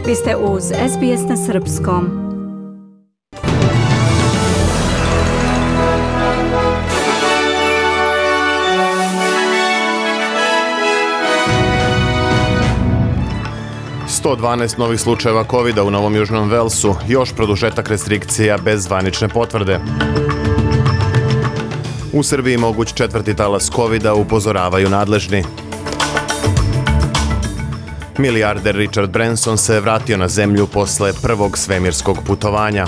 Vi ste uz SBS na Srpskom. ...112 novih slučajeva COVID-a u Novom Južnom Velsu, još produžetak restrikcija bez zvanične potvrde. U Srbiji moguć četvrti talas COVID-a, upozoravaju nadležni. Milijarder Richard Branson se vratio na zemlju posle prvog svemirskog putovanja.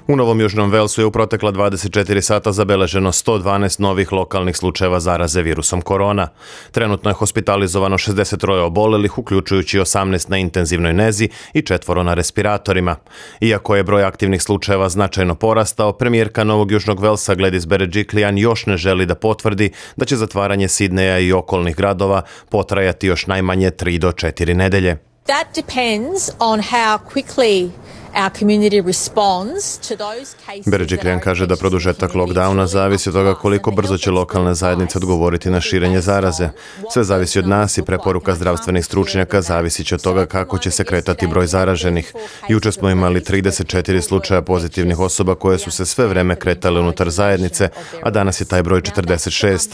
U Novom Južnom Velsu je u protekla 24 sata zabeleženo 112 novih lokalnih slučajeva zaraze virusom korona. Trenutno je hospitalizovano 63 obolelih, uključujući 18 na intenzivnoj nezi i 4 na respiratorima. Iako je broj aktivnih slučajeva značajno porastao, premijerka Novog Južnog Velsa Gladys Berejiklian još ne želi da potvrdi da će zatvaranje Sidneja i okolnih gradova potrajati još najmanje 3 do 4 nedelje. That depends on how quickly our community responds to those cases. Berejiklian kaže da produžetak lockdowna zavisi od toga koliko brzo će lokalne zajednice odgovoriti na širenje zaraze. Sve zavisi od nas i preporuka zdravstvenih stručnjaka zavisi će od toga kako će se kretati broj zaraženih. Juče smo imali 34 slučaja pozitivnih osoba koje su se sve vreme kretale unutar zajednice, a danas je taj broj 46.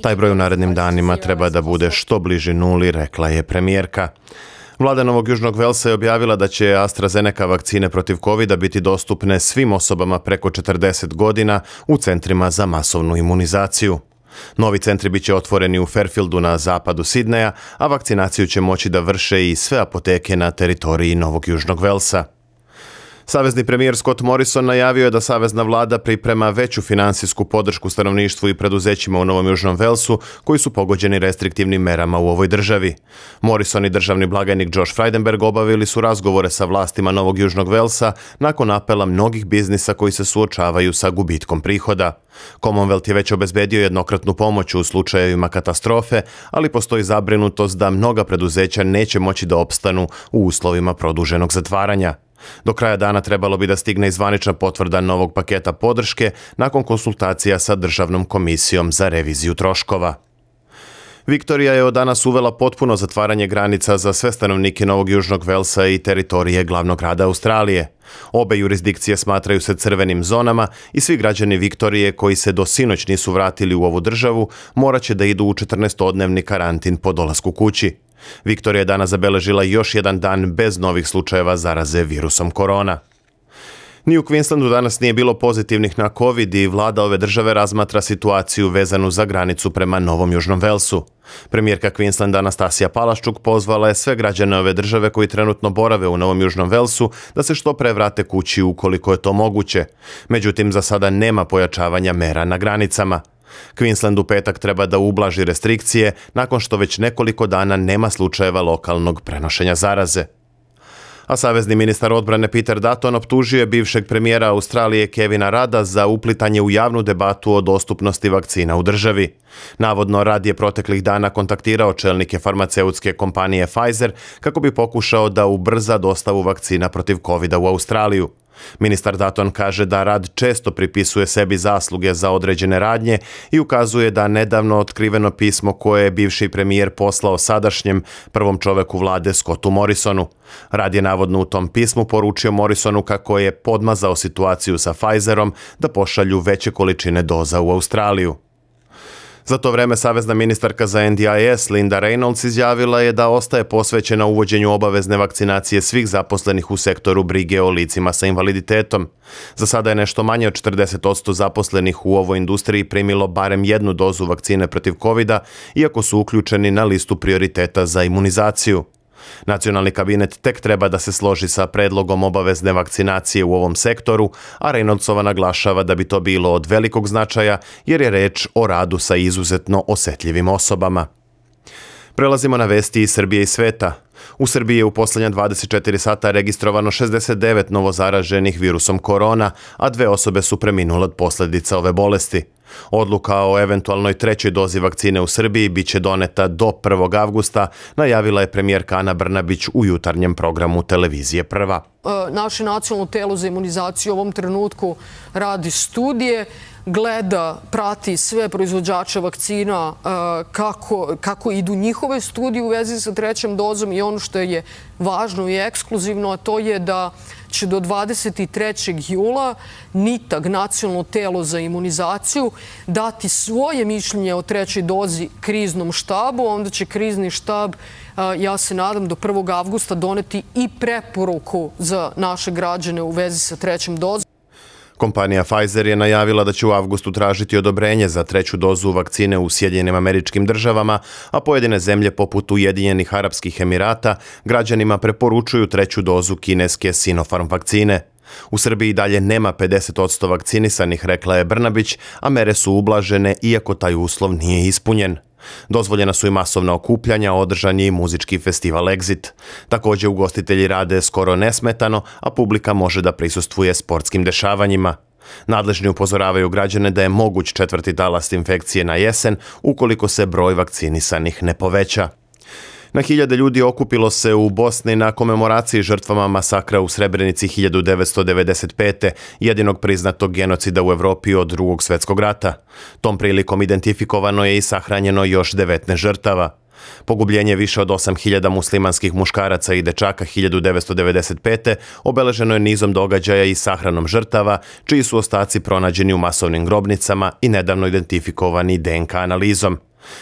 Taj broj u narednim danima treba da bude što bliži nuli, rekla je premijerka. Vlada Novog Južnog Velsa je objavila da će AstraZeneca vakcine protiv COVID-a biti dostupne svim osobama preko 40 godina u centrima za masovnu imunizaciju. Novi centri biće otvoreni u Fairfieldu na zapadu Sidneja, a vakcinaciju će moći da vrše i sve apoteke na teritoriji Novog Južnog Velsa. Savezni premijer Scott Morrison najavio je da savezna vlada priprema veću finansijsku podršku stanovništvu i preduzećima u Novom Južnom Velsu koji su pogođeni restriktivnim merama u ovoj državi. Morrison i državni blagajnik Josh Frydenberg obavili su razgovore sa vlastima Novog Južnog Velsa nakon apela mnogih biznisa koji se suočavaju sa gubitkom prihoda. Commonwealth je već obezbedio jednokratnu pomoć u slučajevima katastrofe, ali postoji zabrinutost da mnoga preduzeća neće moći da opstanu u uslovima produženog zatvaranja. Do kraja dana trebalo bi da stigne i zvanična potvrda novog paketa podrške nakon konsultacija sa Državnom komisijom za reviziju troškova. Viktorija je od danas uvela potpuno zatvaranje granica za sve stanovnike Novog Južnog Velsa i teritorije glavnog grada Australije. Obe jurisdikcije smatraju se crvenim zonama i svi građani Viktorije koji se do sinoć nisu vratili u ovu državu morat će da idu u 14-dnevni karantin po dolasku kući. Viktorija je danas zabeležila još jedan dan bez novih slučajeva zaraze virusom korona. Ni u Queenslandu danas nije bilo pozitivnih na COVID i vlada ove države razmatra situaciju vezanu za granicu prema Novom Južnom Velsu. Premijerka Queenslanda Anastasija Palaščuk pozvala je sve građane ove države koji trenutno borave u Novom Južnom Velsu da se što pre vrate kući ukoliko je to moguće. Međutim, za sada nema pojačavanja mera na granicama. Queensland u petak treba da ublaži restrikcije nakon što već nekoliko dana nema slučajeva lokalnog prenošenja zaraze. A savezni ministar odbrane Peter Dutton optužio je bivšeg premijera Australije Kevina Rudda za uplitanje u javnu debatu o dostupnosti vakcina u državi. Navodno, Rudd je proteklih dana kontaktirao čelnike farmaceutske kompanije Pfizer kako bi pokušao da ubrza dostavu vakcina protiv COVID-a u Australiju. Ministar Dutton kaže da Rudd često pripisuje sebi zasluge za određene radnje i ukazuje da nedavno otkriveno pismo koje je bivši premijer poslao sadašnjem prvom čoveku vlade Scottu Morrisonu. Rudd je navodno u tom pismu poručio Morrisonu kako je podmazao situaciju sa Pfizerom da pošalju veće količine doza u Australiju. Za to vreme savezna ministarka za NDIS Linda Reynolds izjavila je da ostaje posvećena uvođenju obavezne vakcinacije svih zaposlenih u sektoru brige o licima sa invaliditetom. Za sada je nešto manje od 40% zaposlenih u ovoj industriji primilo barem jednu dozu vakcine protiv COVID-a, iako su uključeni na listu prioriteta za imunizaciju. Nacionalni kabinet tek treba da se složi sa predlogom obavezne vakcinacije u ovom sektoru, a Reynoldsova naglašava da bi to bilo od velikog značaja jer je reč o radu sa izuzetno osetljivim osobama. Prelazimo na vesti iz Srbije i sveta. U Srbiji je u posljednja 24 sata registrovano 69 novozaraženih virusom korona, a 2 osobe su preminule od posljedica ove bolesti. Odluka o eventualnoj trećoj dozi vakcine u Srbiji biće doneta do 1. avgusta, najavila je premijerka Ana Brnabić u jutarnjem programu televizije Prva. Naše nacionalno telo za imunizaciju u ovom trenutku radi studije, gleda, prati sve proizvođače vakcina kako idu njihove studije u vezi sa trećom dozom i ono što je važno i ekskluzivno, a to je da će do 23. jula NITAG, nacionalno telo za imunizaciju, dati svoje mišljenje o trećoj dozi kriznom štabu, onda će krizni štab, ja se nadam, do 1. avgusta doneti i preporuku za naše građane u vezi sa trećom dozom. Kompanija Pfizer je najavila da će u avgustu tražiti odobrenje za treću dozu vakcine u Sjedinjenim Američkim Državama, a pojedine zemlje poput Ujedinjenih Arapskih Emirata građanima preporučuju treću dozu kineske Sinopharm vakcine. U Srbiji dalje nema 50% vakcinisanih, rekla je Brnabić, a mere su ublažene iako taj uslov nije ispunjen. Dozvoljena su i masovna okupljanja, održan je i muzički festival Exit. Također ugostitelji rade skoro nesmetano, a publika može da prisustvuje sportskim dešavanjima. Nadležni upozoravaju građane da je moguć četvrti talas infekcije na jesen ukoliko se broj vakcinisanih ne poveća. Na hiljade ljudi okupilo se u Bosni na komemoraciji žrtvama masakra u Srebrenici 1995. jedinog priznatog genocida u Evropi od Drugog svjetskog rata. Tom prilikom identifikovano je i sahranjeno još 19 žrtava. Pogubljenje više od 8.000 muslimanskih muškaraca i dečaka 1995. obeleženo je nizom događaja i sahranom žrtava, čiji su ostaci pronađeni u masovnim grobnicama i nedavno identifikovani DNK analizom.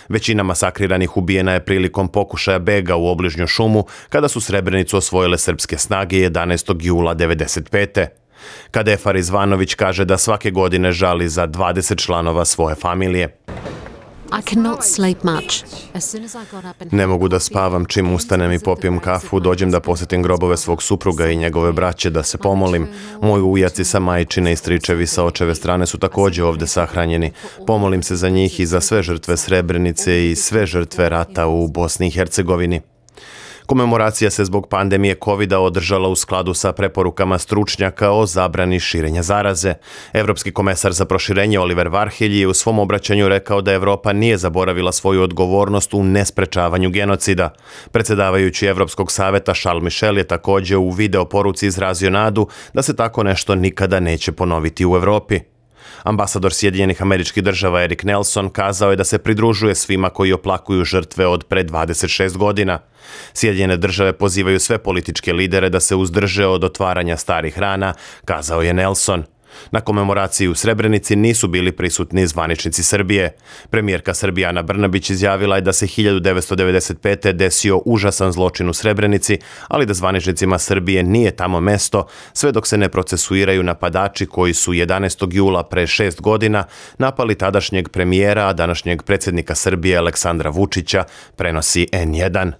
Većina masakriranih ubijena je prilikom pokušaja bega u obližnju šumu kada su Srebrenicu osvojile srpske snage 11. jula 1995. Kadefar Izvanović kaže da svake godine žali za 20 članova svoje familije. Ne mogu da spavam čim ustanem i popijem kafu, dođem da posjetim grobove svog supruga i njegove braće da se pomolim. Moji ujaci sa majčine i stričevi sa očeve strane su također ovdje sahranjeni. Pomolim se za njih i za sve žrtve Srebrenice i sve žrtve rata u Bosni i Hercegovini. Komemoracija se zbog pandemije COVID-a održala u skladu sa preporukama stručnjaka o zabrani širenja zaraze. Evropski komesar za proširenje Oliver Varhelyi je u svom obraćanju rekao da Evropa nije zaboravila svoju odgovornost u nesprečavanju genocida. Predsjedavajući Evropskog saveta Charles Michel je također u video poruci izrazio nadu da se tako nešto nikada neće ponoviti u Evropi. Ambasador Sjedinjenih Američkih Država Erik Nelson kazao je da se pridružuje svima koji oplakuju žrtve od pre 26 godina. Sjedinjene Države pozivaju sve političke lidere da se uzdrže od otvaranja starih rana, kazao je Nelson. Na komemoraciji u Srebrenici nisu bili prisutni zvaničnici Srbije. Premijerka Srbije Ana Brnabić izjavila je da se 1995. desio užasan zločin u Srebrenici, ali da zvaničnicima Srbije nije tamo mesto, sve dok se ne procesuiraju napadači koji su 11. jula pre 6 godina napali tadašnjeg premijera, a današnjeg predsjednika Srbije Aleksandra Vučića, prenosi N1.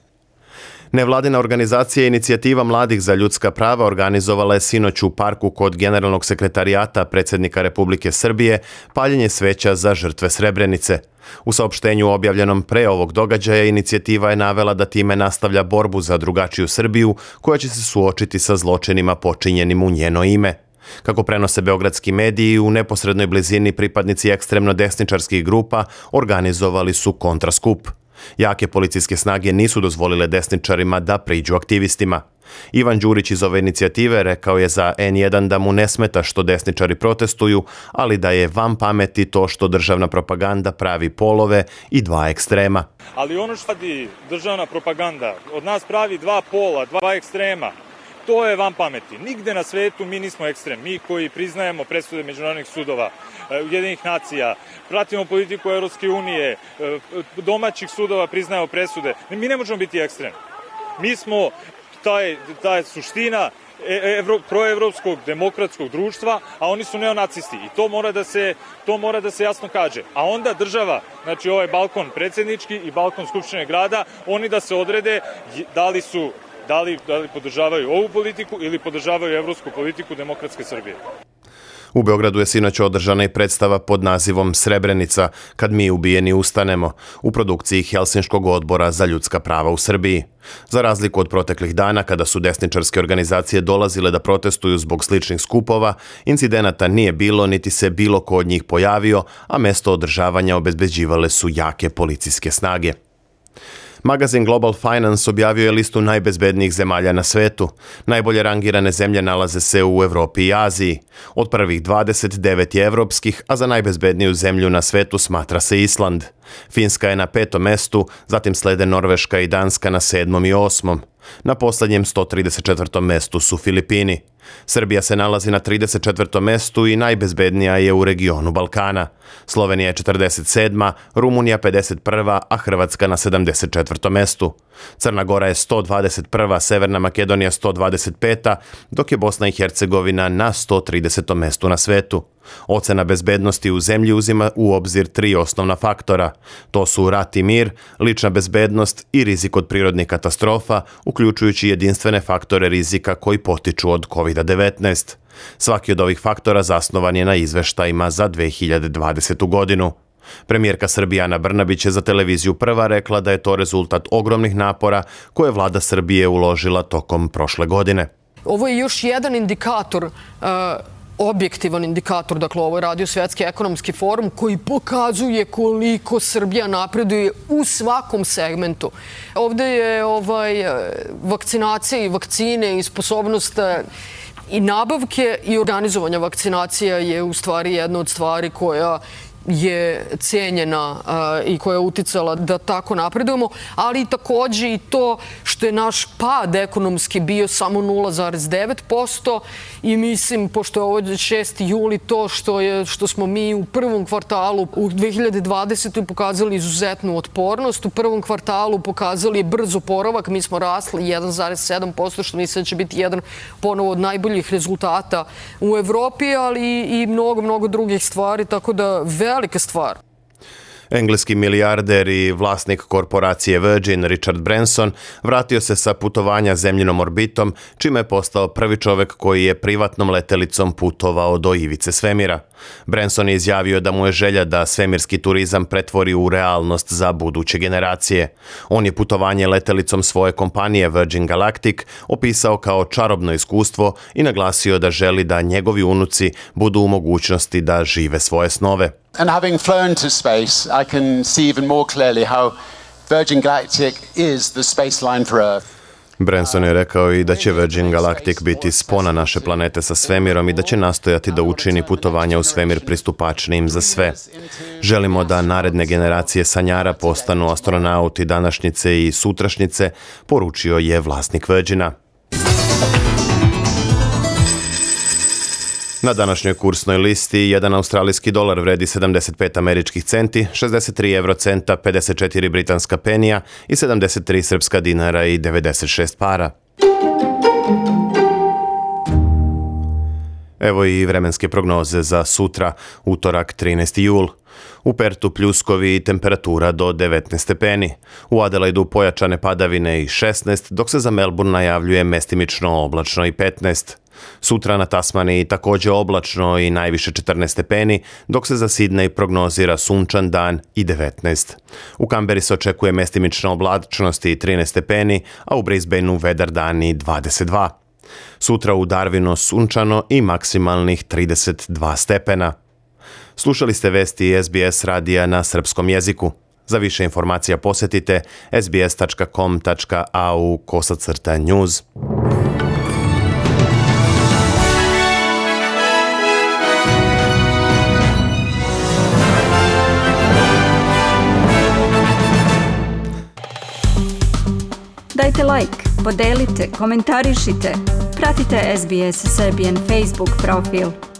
Nevladina organizacija Inicijativa mladih za ljudska prava organizovala je sinoć u parku kod Generalnog sekretarijata predsjednika Republike Srbije paljenje sveća za žrtve Srebrenice. U saopštenju objavljenom pre ovog događaja inicijativa je navela da time nastavlja borbu za drugačiju Srbiju koja će se suočiti sa zločinima počinjenim u njeno ime. Kako prenose beogradski mediji, u neposrednoj blizini pripadnici ekstremno desničarskih grupa organizovali su kontraskup. Jake policijske snage nisu dozvolile desničarima da priđu aktivistima. Ivan Đurić iz ove inicijative rekao je za N1 da mu ne smeta što desničari protestuju, ali da je van pameti to što državna propaganda pravi polove i dva ekstrema. Ali ono što radi državna propaganda, od nas pravi dva pola, dva ekstrema, to je van pameti. Nigde na svetu mi nismo ekstrem. Mi koji priznajemo presude međunarodnih sudova, Ujedinjenih nacija, pratimo politiku Evropske unije, domaćih sudova priznajemo presude. Mi ne možemo biti ekstrem. Mi smo ta suština proevropskog demokratskog društva, a oni su neonacisti. I to mora da se jasno kaže. A onda država, znači ovaj balkon predsjednički i balkon Skupštine grada, oni da se odrede da li podržavaju ovu politiku ili podržavaju evropsku politiku demokratske Srbije. U Beogradu je sinoć održana i predstava pod nazivom Srebrenica, kad mi ubijeni ustanemo, u produkciji Helsinškog odbora za ljudska prava u Srbiji. Za razliku od proteklih dana, kada su desničarske organizacije dolazile da protestuju zbog sličnih skupova, incidenata nije bilo niti se bilo ko od njih pojavio, a mesto održavanja obezbeđivale su jake policijske snage. Magazin Global Finance objavio je listu najbezbednijih zemalja na svetu. Najbolje rangirane zemlje nalaze se u Evropi i Aziji. Od prvih 29 je evropskih, a za najbezbedniju zemlju na svetu smatra se Island. Finska je na 5. mestu, zatim slede Norveška i Danska na 7. i 8. Na poslednjem 134. mestu su Filipini. Srbija se nalazi na 34. mestu i najbezbednija je u regionu Balkana. Slovenija je 47., Rumunija 51., a Hrvatska na 74. mestu. Crna Gora je 121., Severna Makedonija 125., dok je Bosna i Hercegovina na 130. mestu na svetu. Ocena bezbednosti u zemlji uzima u obzir 3 osnovna faktora. To su rat i mir, lična bezbednost i rizik od prirodnih katastrofa, uključujući jedinstvene faktore rizika koji potiču od COVID-19. Svaki od ovih faktora zasnovan je na izveštajima za 2020. godinu. Premijerka Srbije Ana Brnabić je za televiziju Prva rekla da je to rezultat ogromnih napora koje je vlada Srbije uložila tokom prošle godine. Ovo je još jedan indikator, objektivan indikator, dakle ovo je radio Svetski ekonomski forum koji pokazuje koliko Srbija napreduje u svakom segmentu. Ovde je vakcinacija i vakcine i sposobnost i nabavke i organizovanja vakcinacija je u stvari jedna od stvari koja je cijenjena i koja je uticala da tako napredujemo, ali takođe i to što je naš pad ekonomski bio samo 0,9% i mislim, pošto je ovo 6. juli, to što smo mi u prvom kvartalu u 2020. pokazali izuzetnu otpornost, u prvom kvartalu pokazali brz oporavak, mi smo rasli 1,7%, što mislim da će biti jedan ponovo od najboljih rezultata u Evropi, ali i mnogo drugih stvari, tako da velika stvar. Engleski milijarder i vlasnik korporacije Virgin Richard Branson vratio se sa putovanja zemljinom orbitom, čime je postao prvi čovek koji je privatnom letelicom putovao do ivice svemira. Branson je izjavio da mu je želja da svemirski turizam pretvori u realnost za buduće generacije. On je putovanje letelicom svoje kompanije Virgin Galactic opisao kao čarobno iskustvo i naglasio da želi da njegovi unuci budu u mogućnosti da žive svoje snove. And having flown to space, I can see even more clearly how Virgin Galactic is the space line for Earth. Branson je rekao i da će Virgin Galactic biti spona naše planete sa svemirom i da će nastojati da učini putovanja u svemir pristupačnijim za sve. Želimo da naredne generacije sanjara postanu astronauti današnjice i sutrašnjice, poručio je vlasnik Virgina. Na današnjoj kursnoj listi jedan australijski dolar vredi 75 američkih centi, 63 eurocenta, 54 britanska penija i 73 srpska dinara i 96 para. Evo i vremenske prognoze za sutra, utorak 13. jul. U Pertu pljuskovi i temperatura do 19 stepeni. U Adelaidu pojačane padavine i 16, dok se za Melbourne najavljuje mestimično oblačno i 15. Sutra na Tasmaniji takođe oblačno i najviše 14 stepeni, dok se za Sidney prognozira sunčan dan i 19. U Kamberi se očekuje mestimična oblačnost i 13 stepeni, a u Brisbaneu vedar dan i 22. Sutra u Darwinu sunčano i maksimalnih 32 stepena. Slušali ste vesti SBS radija na srpskom jeziku. Za više informacija posetite sbs.com.au/news. Dajte like, podelite, komentarišite. Pratite SBS Serbian Facebook profil.